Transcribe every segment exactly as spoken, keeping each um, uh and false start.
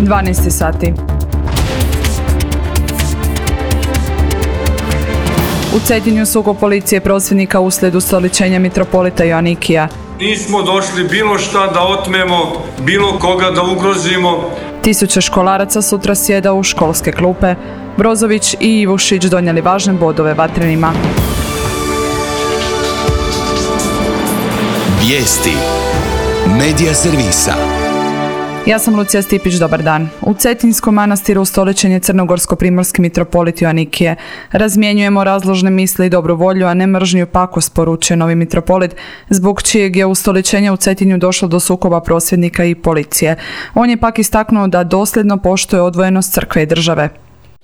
dvanaest sati. U Cetinju sukob policije prosvjednika uslijed ustoličenja mitropolita Joanikija. Nismo došli bilo šta da otmemo, bilo koga da ugrozimo. Tisuće školaraca sutra sjeda u školske klupe. Brozović i Ivušić donijeli važne bodove vatrenima. Vijesti Medija servisa. Ja sam Lucija Stipić, dobar dan. U Cetinskom manastiru ustoličen je crnogorsko-primorski mitropolit Joanikije. Razmjenjujemo razložne misli i dobru volju, a ne mržnju i pakost, poručuje novi mitropolit, zbog čijeg je ustoličenja u Cetinju došlo do sukoba prosvjednika i policije. On je pak istaknuo da dosljedno poštuje odvojenost crkve i države.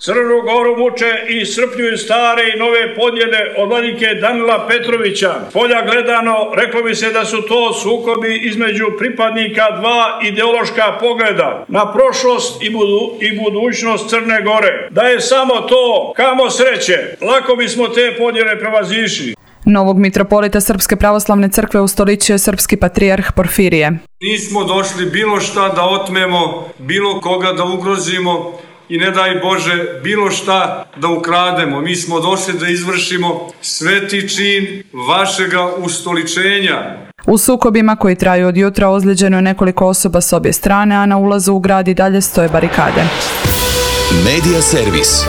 Crnu Goru muče i iscrpljuju stare i nove podjele od vladike Danila Petrovića. Polja gledano, reklo bi se da su to sukobi između pripadnika dva ideološka pogleda na prošlost i, budu, i budućnost Crne Gore. Da je samo to, kamo sreće, lako bismo te podjele prevazišli. Novog mitropolita Srpske pravoslavne crkve ustoličio je srpski patrijarh Porfirije. Nismo došli bilo šta da otmemo, bilo koga da ugrozimo, i ne daj Bože bilo šta da ukrademo. Mi smo došli da izvršimo sveti čin vašega ustoličenja. U sukobima koji traju od jutra ozlijeđeno je nekoliko osoba s obje strane, a na ulazu u grad i dalje stoje barikade. Medija servis.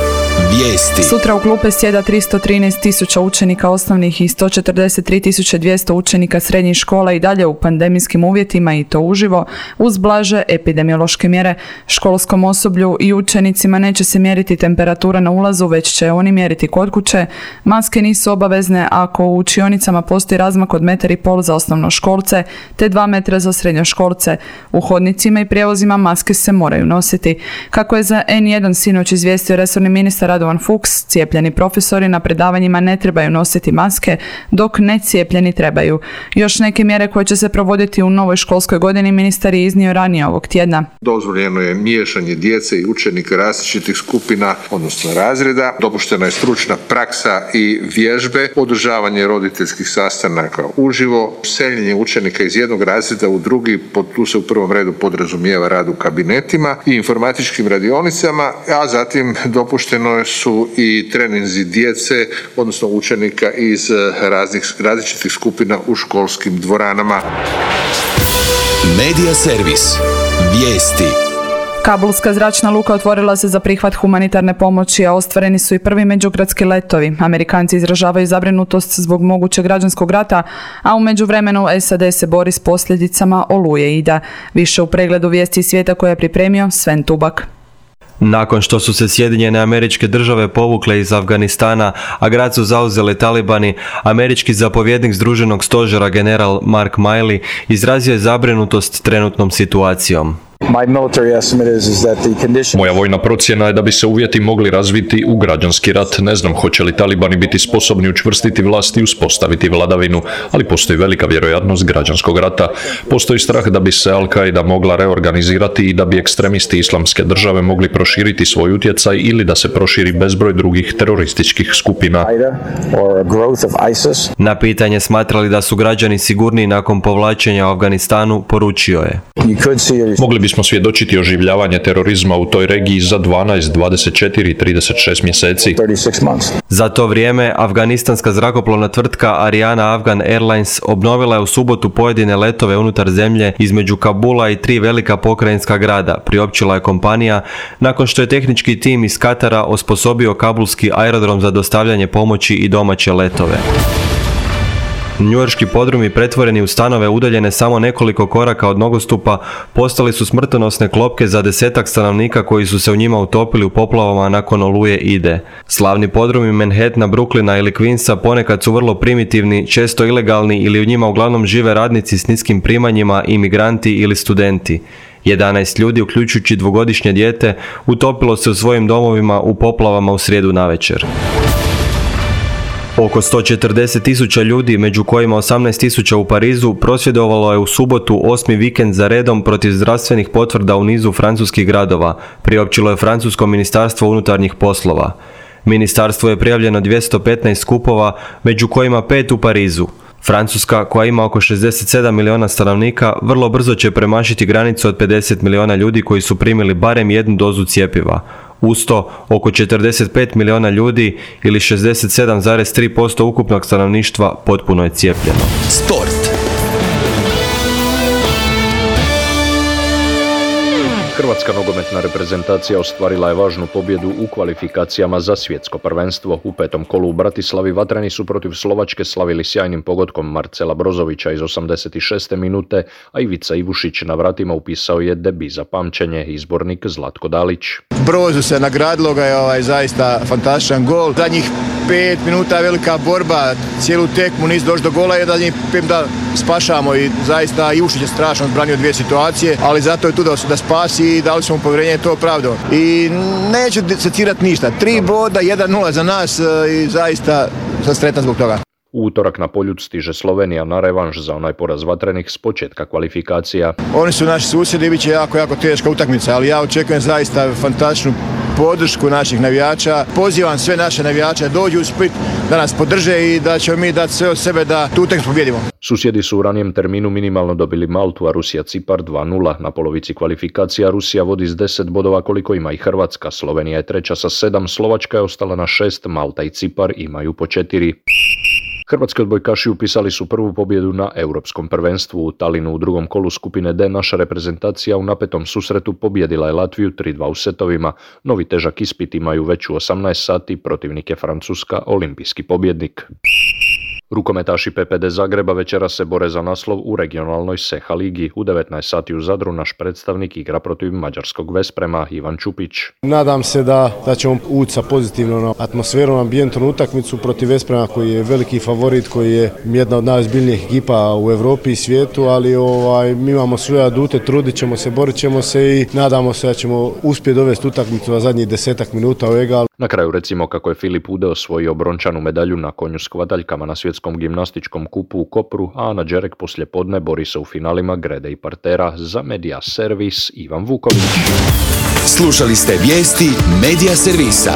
Vijesti. Sutra u klupe sjeda tristo trinaest tisuća učenika osnovnih i sto četrdeset tri tisuće dvjesto učenika srednjih škola i dalje u pandemijskim uvjetima, i to uživo, uz blaže epidemiološke mjere. Školskom osoblju i učenicima neće se mjeriti temperatura na ulazu, već će oni mjeriti kod kuće. Maske nisu obavezne ako u učionicama postoji razmak od metar i pol za osnovnoškolce te dva metra za srednjoškolce. U hodnicima i prijevozima maske se moraju nositi. Kako je za en jedan sinoć izvijestio resorni ministar Radovan Fuchs, cijepljeni profesori na predavanjima ne trebaju nositi maske, dok necijepljeni trebaju. Još neke mjere koje će se provoditi u novoj školskoj godini ministar je iznio ranije ovog tjedna. Dozvoljeno je miješanje djece i učenika različitih skupina, odnosno razreda. Dopuštena je stručna praksa i vježbe, održavanje roditeljskih sastanaka uživo, seljenje učenika iz jednog razreda u drugi, tu se u prvom redu podrazumijeva rad u kabinetima i informatičkim radionicama, a zatim dopušteno su i treninzi djece, odnosno učenika iz raznih, različitih skupina u školskim dvoranama. Medija servis. Vijesti. Kabulska zračna luka otvorila se za prihvat humanitarne pomoći, a ostvareni su i prvi međugradski letovi. Amerikanci izražavaju zabrinutost zbog mogućeg građanskog rata, a u međuvremenu S A D se bori s posljedicama oluje Ida. Više u pregledu vijesti svijeta koje je pripremio Sven Tubak. Nakon što su se Sjedinjene Američke Države povukle iz Afganistana, a grad su zauzeli talibani, američki zapovjednik Združenog stožera general Mark Milley izrazio je zabrinutost trenutnom situacijom. Moja vojna procjena je da bi se uvjeti mogli razviti u građanski rat. Ne znam hoće li talibani biti sposobni učvrstiti vlast i uspostaviti vladavinu, ali postoji velika vjerojatnost građanskog rata. Postoji strah da bi se Al-Qaida mogla reorganizirati i da bi ekstremisti Islamske države mogli proširiti svoj utjecaj ili da se proširi bezbroj drugih terorističkih skupina. Na pitanje smatrali da su građani sigurniji nakon povlačenja u Afganistanu, poručio je: Mogli bismo svjedočiti oživljavanje terorizma u toj regiji za dvanaest, dvadeset četiri i trideset šest mjeseci. Za to vrijeme, afganistanska zrakoplovna tvrtka Ariana Afgan Airlines obnovila je u subotu pojedine letove unutar zemlje između Kabula i tri velika pokrajinska grada, priopćila je kompanija, nakon što je tehnički tim iz Katara osposobio kabulski aerodrom za dostavljanje pomoći i domaće letove. Njujorški podrumi pretvoreni u stanove udaljene samo nekoliko koraka od nogostupa postali su smrtonosne klopke za desetak stanovnika koji su se u njima utopili u poplavama nakon oluje Ide. Slavni podrumi Manhattana, Brooklyna ili Queensa ponekad su vrlo primitivni, često ilegalni ili u njima uglavnom žive radnici s niskim primanjima, imigranti ili studenti. jedanaest ljudi, uključujući dvogodišnje dijete, utopilo se u svojim domovima u poplavama u srijedu navečer. Oko sto četrdeset tisuća ljudi, među kojima osamnaest tisuća u Parizu, prosvjedovalo je u subotu osmi vikend za redom protiv zdravstvenih potvrda u nizu francuskih gradova, priopćilo je francusko ministarstvo unutarnjih poslova. Ministarstvo je prijavljeno dvjesto petnaest skupova, među kojima pet u Parizu. Francuska, koja ima oko šezdeset sedam milijuna stanovnika, vrlo brzo će premašiti granicu od pedeset milijuna ljudi koji su primili barem jednu dozu cjepiva. Uz to, oko četrdeset pet milijuna ljudi ili šezdeset sedam zarez tri posto ukupnog stanovništva potpuno je cijepljeno. Sport. Hrvatska nogometna reprezentacija ostvarila je važnu pobjedu u kvalifikacijama za svjetsko prvenstvo. U petom kolu u Bratislavi vatreni su protiv Slovačke slavili sjajnim pogodkom Marcela Brozovića iz osamdeset šeste minute, a Ivica Ivušić na vratima upisao je debi za pamćenje, izbornik Zlatko Dalić. Brozu se nagradilo ga je ovaj zaista fantastičan gol. Zadnjih pet minuta je velika borba, cijelu tekmu nisu došli do gola, je da njih pet da spašamo i zaista Ivušić je strašno odbranio dvije situacije, ali zato je tu da, da spasi i dali smo mu povjerenje, to opravdao. I neću secirati ništa, tri boda, jedan nula za nas i zaista sam sretan zbog toga. U utorak na Poljud stiže Slovenija na revanš za onaj poraz vatrenih s početka kvalifikacija. Oni su naši susjedi, bit će jako, jako teška utakmica, ali ja očekujem zaista fantastičnu podršku naših navijača. Pozivam sve naše navijače da dođu u Split, da nas podrže i da ćemo mi dati sve od sebe da tu utakmicu pobjedimo. Susjedi su u ranijem terminu minimalno dobili Maltu, a Rusija Cipar dva nula. Na polovici kvalifikacija Rusija vodi s deset bodova koliko ima i Hrvatska. Slovenija je treća sa sedam, Slovačka je ostala na šest, Malta i Cipar imaju po četiri. Hrvatski odbojkaši upisali su prvu pobjedu na Europskom prvenstvu. U Talinu u drugom kolu skupine D naša reprezentacija u napetom susretu pobjedila je Latviju tri dva u setovima. Novi težak ispit imaju već u osamnaest sati, protivnik je Francuska, olimpijski pobjednik. Rukometaši P P D Zagreba večeras se bore za naslov u regionalnoj Seha ligi. U devetnaest sati u Zadru naš predstavnik igra protiv mađarskog Vesprema, Ivan Čupić. Nadam se da, da ćemo ući sa pozitivnom atmosferom, ambijentom utakmicu protiv Vesprema koji je veliki favorit, koji je jedna od najozbiljnijih ekipa u Europi i svijetu, ali ovaj, mi imamo svoje adute, trudit ćemo se, borit ćemo se i nadamo se da ćemo uspjeti dovesti utakmicu na zadnjih desetak minuta u egal. Na kraju recimo kako je Filip Ude osvojio brončanu medalju na konju s kvadaljkama na svjetskom gimnastičkom kupu u Kopru, a Ana Đerek poslijepodne bori se u finalima grede i partera. Za Media Servis Ivan Vuković. Slušali ste vijesti Media Servisa.